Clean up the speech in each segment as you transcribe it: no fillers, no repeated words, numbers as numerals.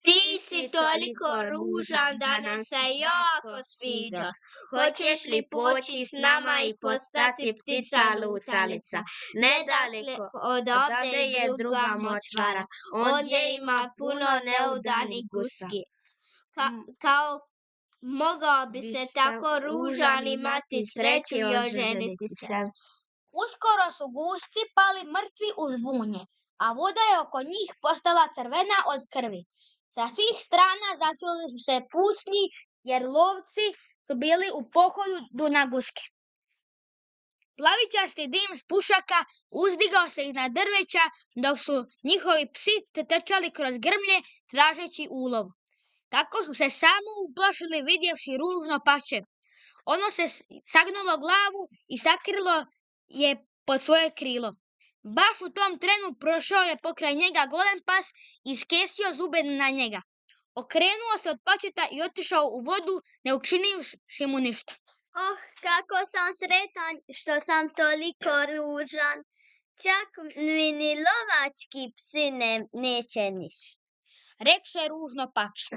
Ti si toliko ružan da nam se jako sviđaš. Hoćeš li poći s nama i postati ptica lutalica? Nedaleko odavde je druga močvara, ondje ima puno neudanih guski. Kao mogao bi se tako ružan imati sreću i oženiti se. Uskoro su gusci pali mrtvi u žbunje, a voda je oko njih postala crvena od krvi. Sa svih strana začuli su se pucnji, jer lovci su bili u pohodu na guske. Plavičasti dim s pušaka uzdigao se iznad drveća, dok su njihovi psi trčali kroz grmlje tražeći ulov. Tako su se samo uplašili vidjevši ružno pače. Ono se sagnulo glavu i sakrilo je pod svoje krilo. Baš u tom trenu prošao je pokraj njega golem pas i skesio zube na njega. Okrenuo se od pačeta i otišao u vodu, ne učinivši mu ništa. Oh, kako sam sretan što sam toliko ružan. Čak mi ni lovački psi neće ništa, rekše ružno pače.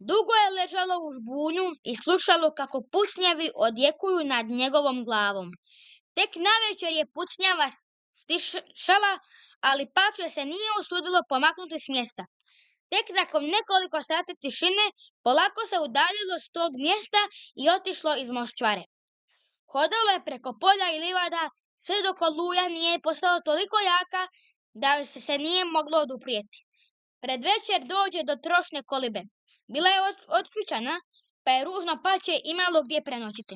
Dugo je ležalo u žbunju i slušalo kako pucnjevi odjekuju nad njegovom glavom. Tek navečer je pucnjava stišala, ali pače se nije usudilo pomaknuti s mjesta. Tek nakon nekoliko sati tišine polako se udaljilo s tog mjesta i otišlo iz moščvare. Hodalo je preko polja i livada sve dok oluja nije postala toliko jaka da joj se nije moglo oduprijeti. Pred večer dođe do trošne kolibe. Bila je otključana, pa je ružno pače imalo gdje prenoćiti.